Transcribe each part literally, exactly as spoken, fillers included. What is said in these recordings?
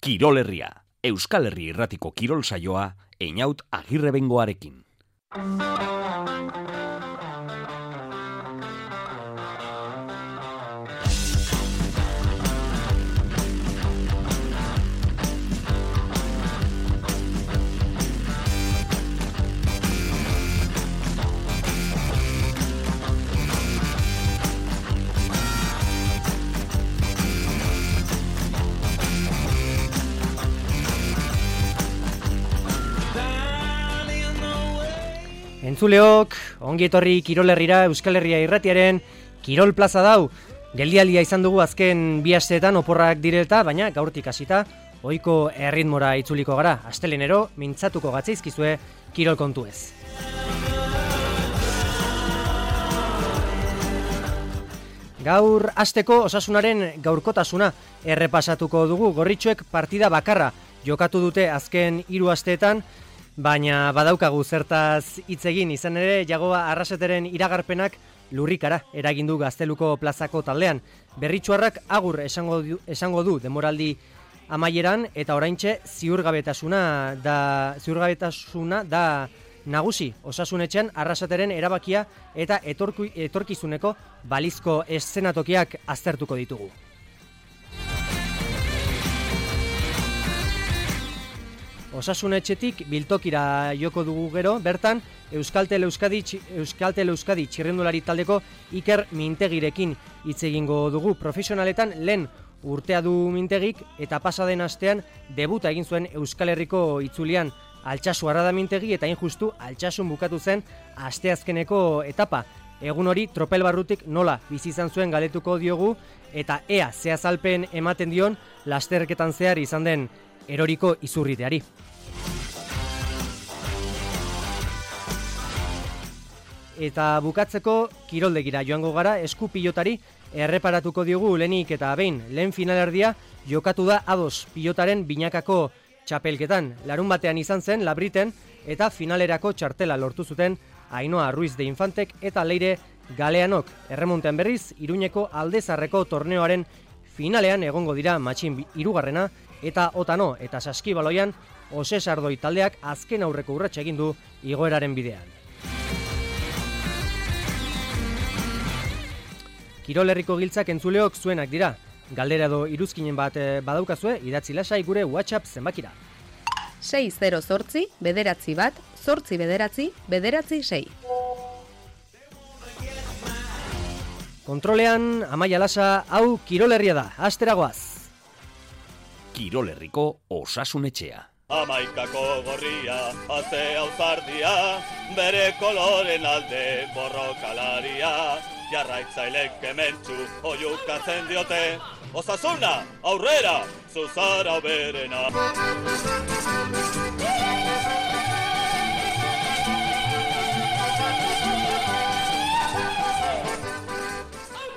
Kirol Herria, Euskal Herri Irratiko kirol saioa, Einaut Agirrebengoarekin. Entzuleok, ongi etorri Kirol Herrira Euskal Herria Irratiaren Kirol Plaza dau. Geldialdia izan dugu azken bi asteetan oporrak direlta, baina gaurtik hasita ohiko erritmora itzuliko gara. Astelenero mintzatuko gatzaizkizue kirol kontuez. Gaur hasteko Osasunaren gaurkotasuna errepasatuko dugu. Gorritxoek partida bakarra jokatu dute azken hiru asteetan, baina badaukagu zertaz hitz egin. Izan ere, Jagoba Arraseteren iragarpenak lurrikara eragin du Gazteluko plazako taldean. Berritsuarrak agur esango du, esango du demoraldi amaieran, eta oraintxe ziurgabetasuna da ziurgabetasuna da nagusi. Osasunetxean Arraseteren erabakia eta etorku, etorkizuneko balizko eszenatokiak aztertuko ditugu. Osasunetxetik biltokira joko dugu gero, bertan Euskaltel Euskadi, Euskaltel Euskadi txirrendulari taldeko Iker Mintegirekin hitz egingo dugu. Profesionaletan lehen urtea du Mintegik, eta pasaden astean debuta egin zuen Euskal Herriko itzulian. Altsasu Arrada Mintegi, eta injustu Altsasun bukatu zen asteazkeneko etapa. Egun hori tropel barrutik nola bizi izan zuen galetuko diogu, eta ea ze azalpen ematen dion lasterketan zehar izan den eroriko izurriteari. Eta bukatzeko kiroldegira joango gara. Esku pilotari erreparatuko diogu lehenik eta behin. Lehen finalerdia jokatu da ados pilotaren binakako txapelketan. Larun batean izan zen Labriten, eta finalerako txartela lortu zuten Ainhoa Ruiz de Infantek eta Leire Galeanok. Erremontean berriz, Iruñeko Aldezarreko torneoaren finalean egongo dira matxin hirugarrena eta Otano eta Saskibaloian Ose Sardoi taldeak azken aurreko urratsa egin du igoeraren bidean. Kirol Herriko giltzak entzuleok zuenak dira. Galdera edo iruzkinen bat badaukazue, idatzi lasai gure WhatsApp zenbakira. sei zero zortzi, bederatzi bat, zortzi bederatzi, bederatzi sei. Kontrolean, Amaia Lasa, hau Kirol Herria da, asteragoaz. Kirol Herriko Osasunetxea. Amaikako gorria, azte auzardia, bere koloren alde borrokalaria, jarraitzailek kementsu oiukatzen diote, Osasuna, aurrera, zuzara berena.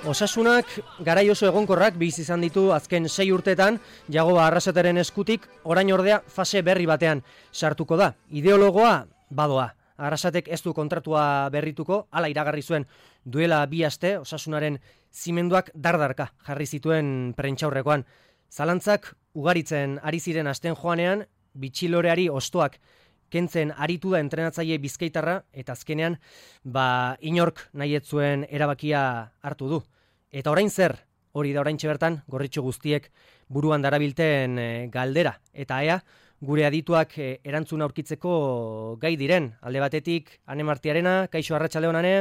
Osasunak garai oso egonkorrak bizi izan ditu azken sei urteetan Jagoba Arraseteren eskutik, orain ordea fase berri batean sartuko da. Ideologoa badoa. Arrasatek ez du kontratua berrituko, hala iragarri zuen duela bi aste. Osasunaren zimenduak dardarka jarri zituen prentsaurrekoan. Zalantzak ugaritzen ari ziren asten joanean, bitxiloreari ostoak kentzen aritu da entrenatzaile bizkaitarra, eta azkenean ba inork nahi ez zuen erabakia hartu du. Eta orain zer? Hori da oraintxe bertan gorritxo guztiek buruan darabilten e, galdera. Eta ea, gure adituak e, erantzun aurkitzeko gai diren. Alde batetik, Ane Martiarena, kaixo arratsaldeon Ane.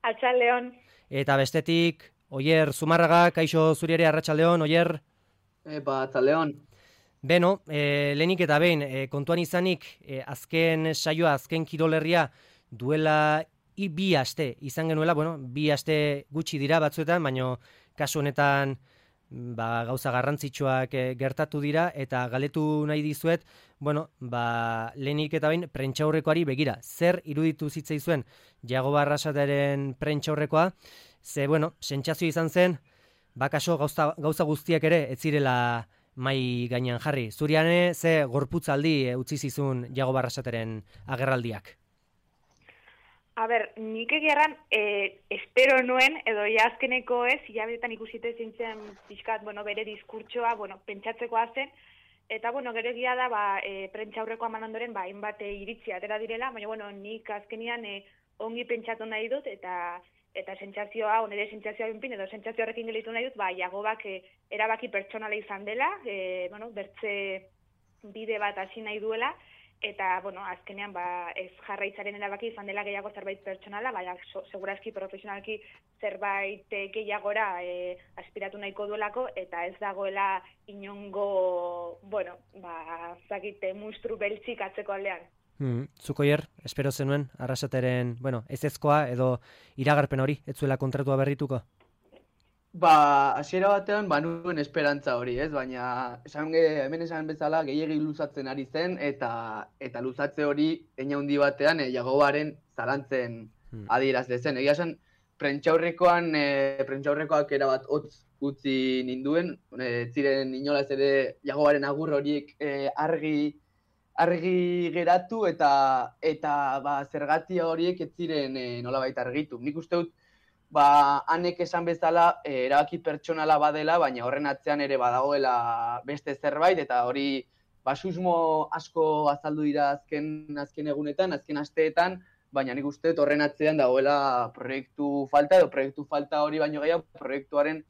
Arratsaldeon. Eta bestetik, Oier Zumarraga, kaixo zuri ere arratsaldeon, Oier. Epa, arratsaldeon. Beno, e, lehenik eta behin, e, kontuan izanik, e, azken saioa, azken Kirol Herria duela I, bi aste izan genuela, bueno, bi aste gutxi dira batzuetan, baino kasu honetan ba, gauza garrantzitsuak e, gertatu dira, eta galetu nahi dizuet, bueno, ba, lehenik eta behin prentsaurrekoari begira. Zer iruditu zitzaizuen Jagoba Arraseteren prentsaurrekoa? Ze, bueno, sentsazio izan zen, bakaso gauza, gauza guztiak ere ez zirela mai gainean jarri. Zuriane, ze gorputzaldi e, utzi zizun Jagoba Arraseteren agerraldiak? A ber, nik egeran e, espero nuen, edo ja azkeneko ez, hilabetetan ikusite zintzen pixkat, bueno, bere diskurtsoa, bueno, pentsatzeko zen, Eta, bueno, gero egia da, ba, e, prentsa aurreko eman ondoren, ba, hainbat e, iritzi atera direla, baina, bueno, nik azkenian e, ongi pentsatu nahi dut, eta eta sentsazioa, onere sentsazioa binpin, edo sentsazio horrekin gelitu nahi dut, ba, Jagobak e, erabaki pertsonala izan dela, e, bueno, bertze bide bat hasi nahi duela, eta, bueno, azkenean, ba, ez jarraitzaren erabaki izan dela gehiago zerbait pertsonala, baina so, segurazki profesionalki zerbait gehiagora e, aspiratu nahiko duelako, eta ez dagoela inongo, bueno, ba, zakite, mustru beltzik atzeko aldean. Hmm, Zukoier, espero zenuen, Arrasateren, bueno, ez ezkoa edo iragarpen hori, ez zuela kontratua berrituko? Ba, hasiera batean, ba, nuen esperantza hori, ez? Baina, esan, hemen esan bezala, gehiegi luzatzen ari zen, eta eta luzatze hori, eina handi batean, e, Jagobaren zalantzen hmm. adierazle zen. Egia esan, prentxaurrekoan, e, prentxaurrekoak erabat hotz utzi ninduen, e, ziren inolaz ere Jagobaren agur horiek e, argi argi geratu eta eta ba, zergatia horiek ez ziren e, nolabait argitu. Nik uste dut, ba, hanek esan bezala e, erabaki pertsonala badela, baina horren atzean ere badagoela beste zerbait, eta hori ba, susmo asko azaldu dira azken, azken egunetan, azken asteetan, baina nik uste dut horren atzean dagoela proiektu falta, edo proiektu falta hori baino gehiago, proiektuaren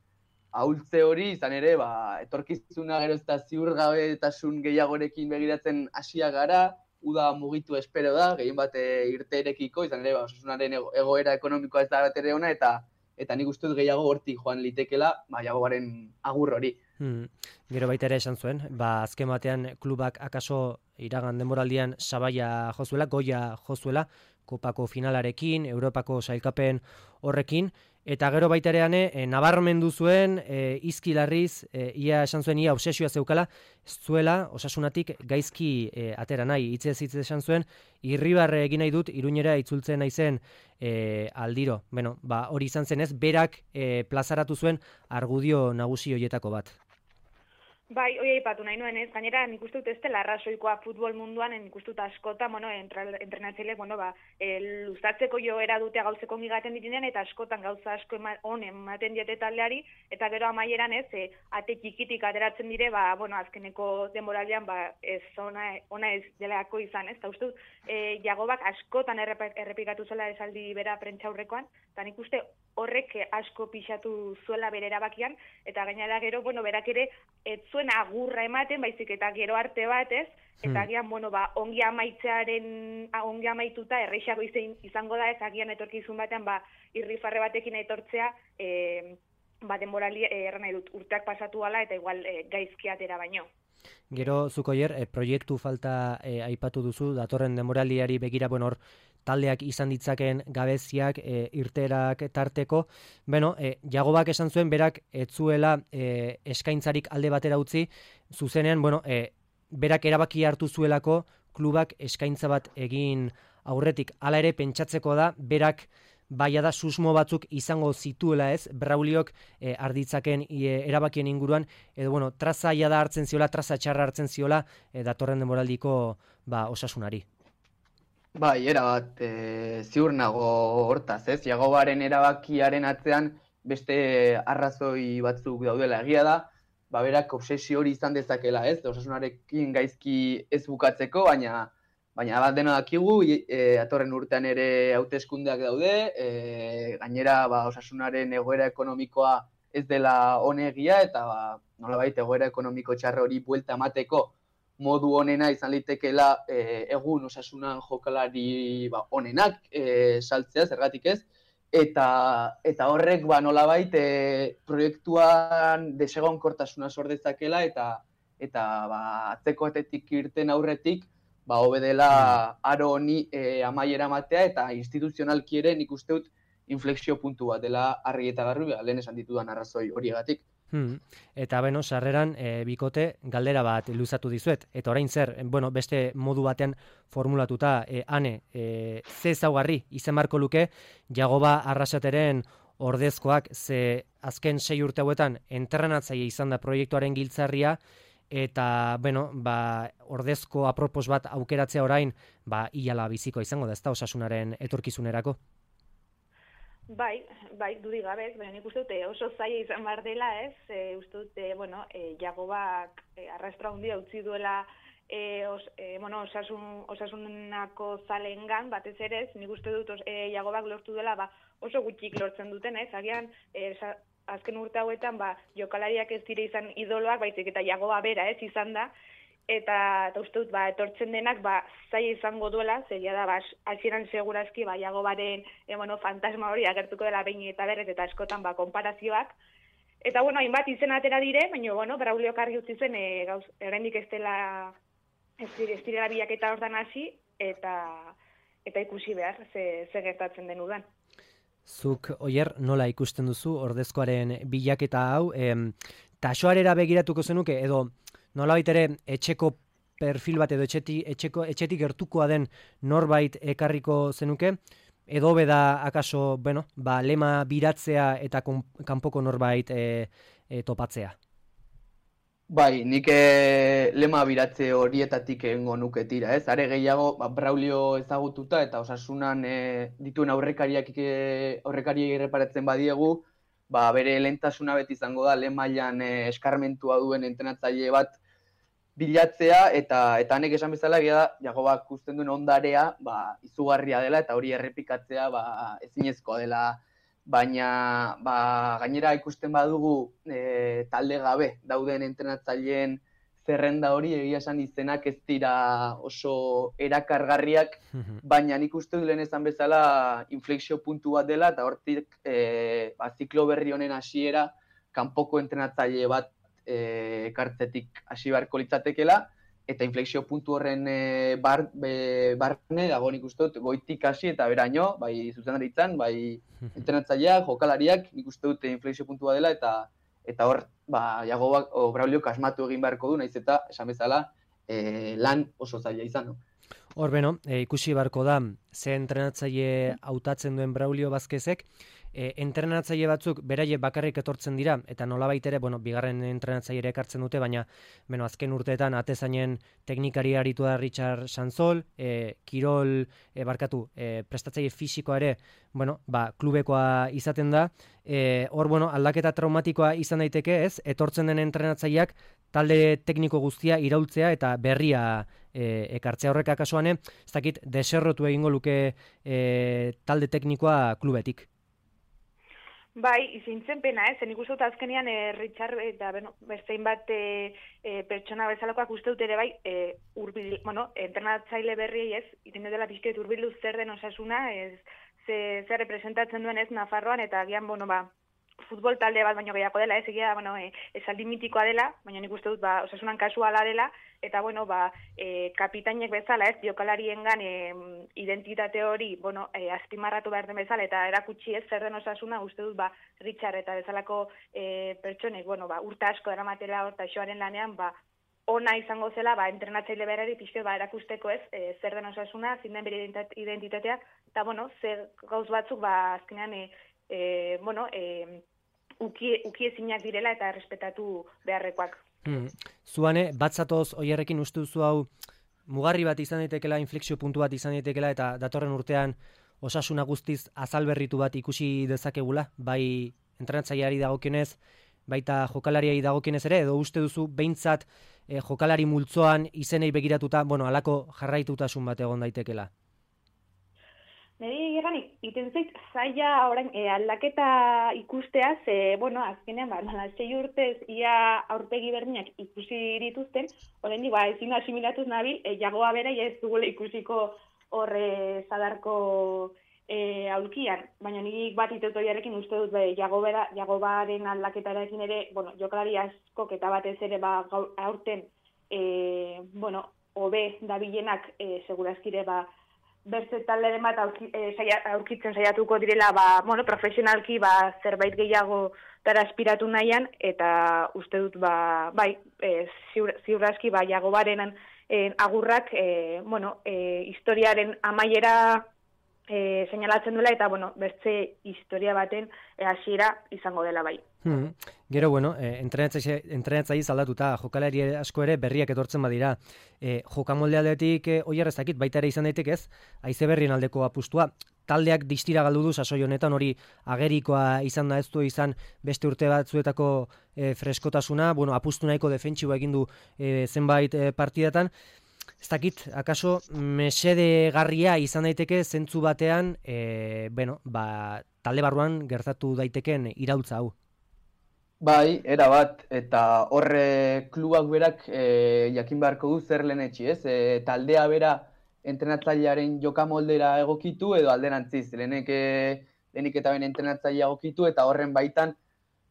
ahultze hori, izan ere, ba, etorkizuna gero ez da ziurgabetasun gehiagorekin begiratzen hasia gara, uda mugitu espero da, gehien bat irteerekiko, izan ere, ba, osasunaren egoera ekonomikoa ez da bat ere ona, eta eta nik uste dut gehiago hortik joan litekela, ba, Jagobaren agur hori. Hmm. Gero baita ere esan zuen, ba, azken batean klubak akaso iragan denboraldian sabaia jozuela, goia jozuela, Kopako finalarekin, Europako sailkapen horrekin, eta gero baita ere e, nabarmendu zuen, e, izkilarriz, e, ia esan zuen, ia obsesioa zeukala, ez zuela, osasunatik gaizki e, atera nahi, hitzez hitz esan zuen, irribarre egin nahi dut, Iruñera itzultzen naizen e, aldiro. Bueno, ba, hori izan zenez, berak e, plazaratu zuen argudio nagusi horietako bat. Bai, hori aipatu nahi nuen ez, gainera nik uste dut ez dela arrazoikoa futbol munduan, nik uste dut askotan, bueno, entrenatzaileek, bueno, ba, e, luzatzeko joera dute gauzeko ongigaten ditinean, eta askotan gauza asko ema, on ematen diete taldeari, eta gero amaieran ez, e, ate txikitik ateratzen dire, ba, bueno, azkeneko denboraldian, ba, ez ona, ona ez delako izan, ez, eta uste dut, e, Jagobak askotan errepikatu zuela esaldi bera prentxaurrekoan, eta nik uste horrek asko pixatu zuela bere erabakian, eta gainera gero, bueno, berak ere, ez zuen agurra ematen, baizik eta gero arte bat, ez? Eta agian, bueno, ba, ongi amaitzearen, ongi amaituta, erreixago izango da, ez agian etorkizun batean, ba, irrifarre batekin etortzea, e, ba, denborali erran nahi dut, urteak pasatu ala, eta igual e, gaizki atera baino. Gero, Zukoier, e, proiektu falta e, aipatu duzu, datorren denboraliari begira, bueno, hor, taldeak izan ditzaken gabeziak, e, irterak tarteko. Bueno, e, Jagobak esan zuen, berak etzuela e, eskaintzarik alde batera utzi, zuzenean, bueno, e, berak erabaki hartu zuelako klubak eskaintza bat egin aurretik. Hala ere, pentsatzeko da, berak baia da susmo batzuk izango zituela ez, Brauliok e, arditzaken e, erabakien inguruan, edo, bueno, traza ia da hartzen ziola, traza txarra hartzen ziola, e, datorren denboraldiko ba, osasunari. Bai, erabat, e, ziur nago hortaz, ez? Jagobaren erabakiaren atzean beste arrazoi batzuk daudela, egia da, ba, berak obsesio hori izan dezakela, ez? Osasunarekin gaizki ez bukatzeko, baina baina bat dena dakigu, e, atorren urtean ere hauteskundeak daude, e, gainera ba, osasunaren egoera ekonomikoa ez dela onegia, eta ba, nolabait egoera ekonomiko txarra hori buelta emateko modu onena izan litekeela e, egun osasunan jokalari ba, onenak e, saltzea, zergatik ez, eta eta horrek ba, nolabait e, proiektuan desegonkortasuna sor dezakela, eta eta ba, atzeko atetik irten aurretik ba, hobe dela aro honi e, amaiera matea, eta instituzionalki ere nik uste dut inflexio puntu bat dela argi eta garbi, lehen esan ditudan arrazoi horiegatik. Hmm. Eta beno, sarreran e, bikote galdera bat luzatu dizuet. Eta orain zer, bueno, beste modu batean formulatuta, e, ane, e, ze ezaugarri izen barko luke Jagoba Arrasateren ordezkoak, ze azken sei urte hauetan entrenatzaile izan da proiektuaren giltzarria, eta, bueno, ba, ordezko apropos bat aukeratzea orain, ba, ilala biziko izango da, ez da osasunaren etorkizunerako. Bai, bai, dudik gabez, baina nik uste dute oso zaila izan behar dela, ez? E, uste dute, bueno, e, Jagobak e, arrastra handia utzi duela e, os, e, bueno, osasun, osasunako zalengan, batez ere, ez? Nik uste dut e, Jagobak lortu dela, ba, oso gutxik lortzen duten, ez? Agian, e, sa, azken urte hauetan, ba, jokalariak ez dire izan idoloak, baizik eta Jagoba bera, ez, izan da, eta, eta uste dut, ba, etortzen denak, ba, zaila izango duela, zeria da, ba, hasieran segurazki, ba, Jagobaren, e, bueno, fantasma hori agertuko dela behin eta berrez, eta askotan, ba, konparazioak. Eta, bueno, hainbat izen atera dire, baina, bueno, Braulio argi utzi zen, e, gauz, erendik ez dela, ez direla bilaketa hortan hasi, eta, eta ikusi behar, ze, ze gertatzen den udan. Zuk, Oier, nola ikusten duzu ordezkoaren bilaketa hau, em, tasoarera begiratuko zenuke, edo nolabait ere etxeko perfil bat edo etxeti, etxeko, etxetik gertukoa den norbait ekarriko zenuke, edo beda akaso, bueno, ba, lema biratzea eta kon, kanpoko norbait e, e, topatzea? Bai, nik e, lema biratze horietatik egingo nuke tira, ez? Are gehiago, ba, Braulio ezagututa eta Osasunan e, dituen aurrekariak e, aurrekariei erreparatzen badiegu, ba, bere lehentasuna beti izango da lehen mailan e, eskarmentua duen entrenatzaile bat bilatzea, eta eta hanek esan bezala egia da Jagobak ikusten duen ondarea, ba, izugarria dela eta hori errepikatzea ba, ezinezkoa dela. Baina ba, gainera ikusten badugu e, talde gabe dauden entrenatzaileen zerrenda hori, egia esan izenak ez dira oso erakargarriak, baina nik uste du lehen esan bezala inflexio puntu bat dela, eta hortik e, ba, ziklo berri honen hasiera kanpoko entrenatzaile bat e, ekartzetik hasi beharko litzatekela, eta inflexio puntu horren e, bar, be, barne dago nik uste dut goitik hasi eta beraino, bai zuzendaritzan, bai entrenatzaileak, jokalariak, nik uste dut inflexio puntua dela, eta eta hor, ba, Jagobak o Braulio kasmatu egin beharko du, naiz eta, esan bezala, e, lan oso zaila izan. No? Hor beno, e, ikusi beharko da, ze entrenatzaile hautatzen duen Braulio Vázquezek, e, entrenatzaile batzuk beraie bakarrik etortzen dira, eta nolabait ere, bueno, bigarren entrenatzaile ekartzen dute, baina bueno, azken urteetan atezainen teknikari aritu da Richard Sanzol, e, kirol, e, barkatu, e, prestatzaile fisikoa ere, bueno, ba, klubekoa izaten da, e, hor, bueno, aldaketa traumatikoa izan daiteke, ez, etortzen den entrenatzaileak talde tekniko guztia iraultzea eta berria e, ekartzea horrek akasuane, ez dakit, deserrotu egingo luke e, talde teknikoa klubetik. Bai, izintzen pena, ez, zen ikustot azkenean e, Richard eta bueno, berzein bat e, e, pertsona bezalakoak uste dut ere bai, e, urbil, bueno, entrenatzaile berriei ez, iten dela pixket urbildu zer den Osasuna, ez, ze, zer representatzen duen ez Nafarroan, eta agian, bueno, ba, futbol talde bat baino gehiago dela, ez egia, bueno, e, esaldi mitikoa dela, baina nik uste dut, ba, Osasunan kasuala dela, eta, bueno, ba, e, kapitainek bezala, ez, jokalariengan e, identitate hori, bueno, e, azpimarratu behar den bezala, eta erakutsi ez zer den Osasuna, uste dut, ba, Richard eta bezalako e, pertsonek, bueno, ba, urte asko eramatela hor taxoaren lanean, ba, ona izango zela, ba, entrenatzaile berari pixke, ba, erakusteko ez, e, zer den Osasuna, zin den bere identitatea, eta, bueno, zer gauz batzuk, ba, azkenean, e, e, bueno, e, uki, uki ezinak direla eta errespetatu beharrekoak. Hmm. Zuane, batzatoz oierrekin uste duzu hau mugarri bat izan daitekela, inflexio puntu bat izan daitekela, eta datorren urtean Osasuna guztiz azalberritu bat ikusi dezakegula, bai entrenatzaileari dagokionez, baita jokalariai dagokionez ere, edo uste duzu behintzat eh, jokalari multzoan izenei begiratuta, bueno, halako jarraitutasun bat egon daitekela? Neri egan, iten zait, zaila orain e, aldaketa ikusteaz, e, bueno, azkenean, ba, sei urtez ia aurpegi berdinak ikusi dituzten, orain ba, ezin asimilatuz nabil, e, Jagoa bera ez dugula ikusiko horre zadarko e, aulkian, baina nik bat iteutoi uste dut, be, Jagobera, Jagobaren aldaketarekin ere, bueno, jokalari askok eta batez ere, ba, gaur, aurten, e, bueno, hobe dabilenak, e, segurazkire, ba, berze talderen bat aurki, e, saia, aurkitzen saiatuko direla, ba, bueno, profesionalki ba, zerbait gehiago dara aspiratu nahian, eta uste dut, ba, bai, e, ziur, ziurazki, ba, Jagobaren e, agurrak, e, bueno, e, historiaren amaiera e, seinalatzen duela, eta, bueno, beste historia baten e, hasiera izango dela bai. Hmm. Gero, bueno, eh, entrenatzaiz aldatuta, jokalari asko ere berriak etortzen badira. Eh, jokamolde aldetik, eh, oier ez dakit, baita ere izan daitek ez, haize berrien aldeko apustua. Taldeak distira galdu du sasoi honetan, hori agerikoa izan da, ez du izan beste urte batzuetako eh, freskotasuna, bueno, apustu nahiko defentsiboa egin du eh, zenbait eh, partidatan. Ez dakit, akaso mesedegarria izan daiteke zentzu batean, eh, bueno, ba, talde barruan gertatu daiteken iraultza hau. Bai, era bat, eta horre klubak berak e, jakin beharko du zer lehenetxi, ez? E, taldea bera entrenatzailearen jokamoldera egokitu edo alderantziz. Lehenek, e, lehenik eta ben entrenatzailea egokitu eta horren baitan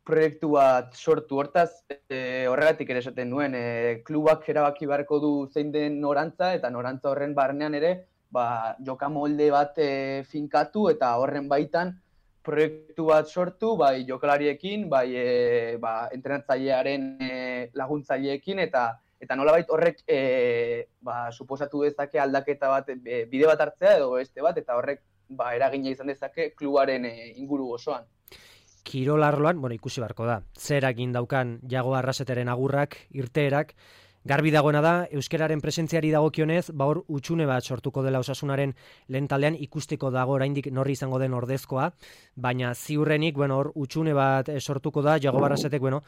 proiektu bat sortu. Hortaz, e, horregatik ere esaten nuen, e, klubak erabaki beharko du zein den norantza eta norantza horren barnean ere ba, jokamolde bat e, finkatu eta horren baitan proiektu bat sortu, bai jokalariekin, bai e, ba, entrenatzailearen e, laguntzaileekin, eta eta nolabait horrek e, ba, suposatu dezake aldaketa bat, e, bide bat hartzea edo beste bat, eta horrek ba, eragina izan dezake klubaren e, inguru osoan. Kirol arloan, bueno, ikusi beharko da, zer egin daukan Jago Arraseteren agurrak, irteerak, garbi dagoena da, euskararen presentziari dagokionez, ba hor utxune bat sortuko dela Osasunaren lehen taldean, ikusteko dago oraindik norri izango den ordezkoa, baina ziurrenik, bueno, hor utxune bat sortuko da, Jago Arrasetek, bueno,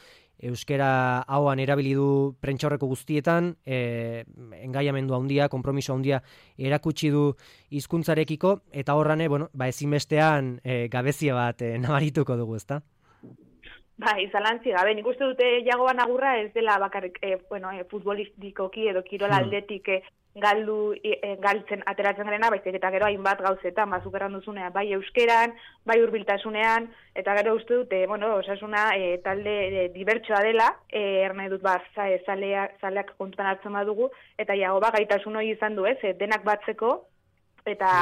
euskara hauan erabili du prentsaurreko guztietan, e, engaiamendu handia, konpromiso handia erakutsi du hizkuntzarekiko, eta horrane, bueno, ba ezinbestean e, gabezia bat e, nabarituko dugu, ezta? Bai, zalantzi gabe, nik uste dute Jagoan agurra ez dela bakarrik e, bueno, e, futbolistikoki edo kirol aldetik e, galdu e, galtzen ateratzen garena, baizik eta gero hainbat gauzetan, ba, superan duzunean, bai euskeran, bai hurbiltasunean, eta gero uste dute, bueno, Osasuna e, talde e, dibertsoa dela, e, erne dut ba, zaleak, zaleak kontutan hartzen badugu, eta Jago ba, gaitasun hori izan du ez, e, denak batzeko, eta...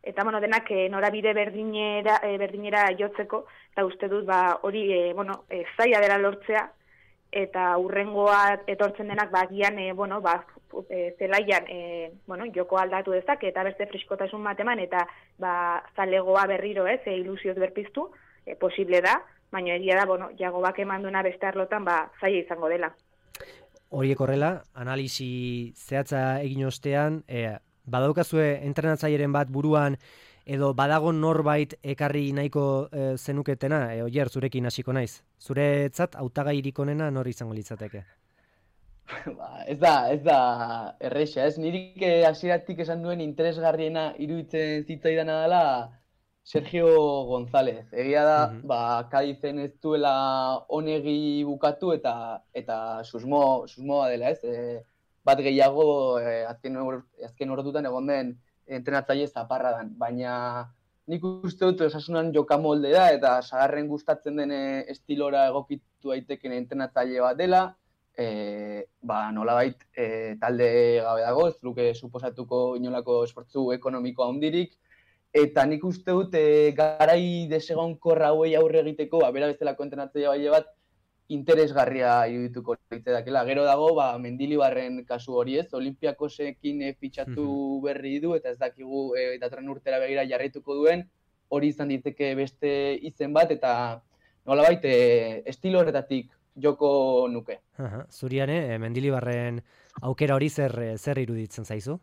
Eta, bueno, denak e, norabide berdinera, e, berdinera jotzeko, eta uste dut, ba, hori, e, bueno, e, zaila dela lortzea, eta hurrengoa etortzen denak, ba, gian, e, bueno, ba, e, zelaian, e, bueno, joko aldatu dezak, eta beste friskotasun bat eman, eta, ba, zalegoa berriro, ez, e, ilusioz berpiztu, e, posible da, baina egia da, bueno, Jago bak eman duena beste arlotan, ba, zaila izango dela. Horiek horrela, analisi zehatza egin ostean, e, badaukazue entrenatzaileren bat buruan edo badago norbait ekarri nahiko e, zenuketena, e, oier, zurekin hasiko naiz. Zuretzat hautagairik onena nor izango litzateke? Ba, ez da, ez da erresa, ez? Nirik hasieratik esan duen interesgarriena iruditzen zitzaidana dela Sergio González. Egia da, uh-huh. ba, Kadizen ez duela onegi bukatu eta eta susmo, susmoa dela, ez? E, bat gehiago eh, azken, or, azken ordutan egon den entrenatzaile zaparradan. Baina nik uste dut Osasunan jokamolde da eta sagarren gustatzen den estilora egokitu daiteken entrenatzaile bat dela, e, ba, nolabait e, talde gabe dago, ez luke suposatuko inolako esfortzu ekonomiko handirik, eta nik uste dut e, garai desegonkorra hauei aurre egiteko, ba, bera bezalako entrenatzaile bat, interesgarria irudituko litzatekeela. Gero dago, ba, Mendilibarren kasu hori ez, Olimpiakosekin e, fitxatu berri du, eta ez dakigu e, datorren urtera begira jarraituko duen, hori izan diteke beste izen bat, eta nolabait e, estilo horretatik joko nuke. Aha, zuriane, e, Mendilibarren aukera hori zer, zer iruditzen zaizu?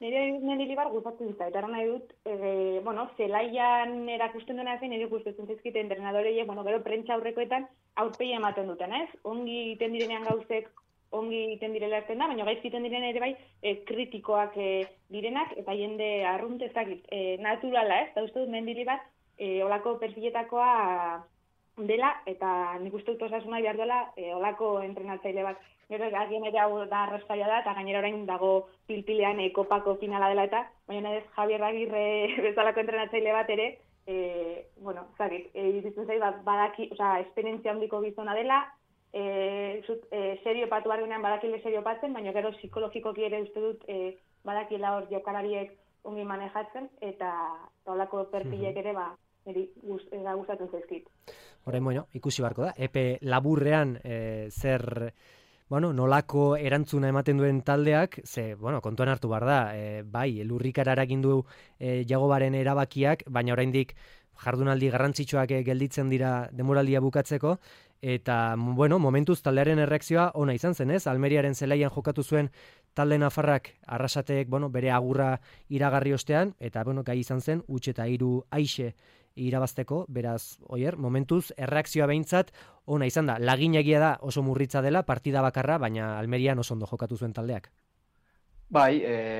Nire Mendilibar gustatu dit, eta nahi dut, e, bueno, zelaian erakusten duena zen, nire gustatzen zaizkite entrenadoreiek, bueno, gero prentsa aurrekoetan aurpegia ematen duten, ez? Ongi egiten direnean gauzek, ongi egiten direla erten da, baina gaizki egiten diren ere bai, e, kritikoak e, direnak, eta jende arrunt ezakit, e, naturala, ez? Eta uste dut Mendilibar, e, olako perfiletakoa dela, eta nik uste dut Osasuna behar duela, e, olako entrenatzaile bat. Gero, agien ere hau da arrastaia da, eta gainera orain dago pilpilean e, kopako finala dela eta, baina ez Javier Agirre bezalako entrenatzaile bat ere, e, bueno, zagit, e, iruditzen zait, badaki, oza, esperientzia handiko gizona dela, e, zut, e, serio patu bargunean badakile serio patzen, baina gero psikologikoki ere uste dut e, badakila hor jokalariek ongi manejatzen, eta holako perfilek ere, ba, niri gustatzen zaizkit. Horren, bueno, ikusi barko da, epe laburrean e, zer... bueno, nolako erantzuna ematen duen taldeak, ze, bueno, kontuan hartu behar da, e, bai, lurrikara eragin du e, Jagobaren erabakiak, baina oraindik jardunaldi garrantzitsuak gelditzen dira denboraldia bukatzeko, eta, bueno, momentuz taldearen erreakzioa ona izan zen, ez? Almeriaren zelaian jokatu zuen talde nafarrak Arrasatek, bueno, bere agurra iragarri ostean, eta, bueno, gai izan zen, huts eta hiru aixe irabazteko, beraz, oier, momentuz, erreakzioa behintzat, ona izan da. Laginagia da oso murritza dela, partida bakarra, baina Almerian oso ondo jokatu zuen taldeak. Bai, eh,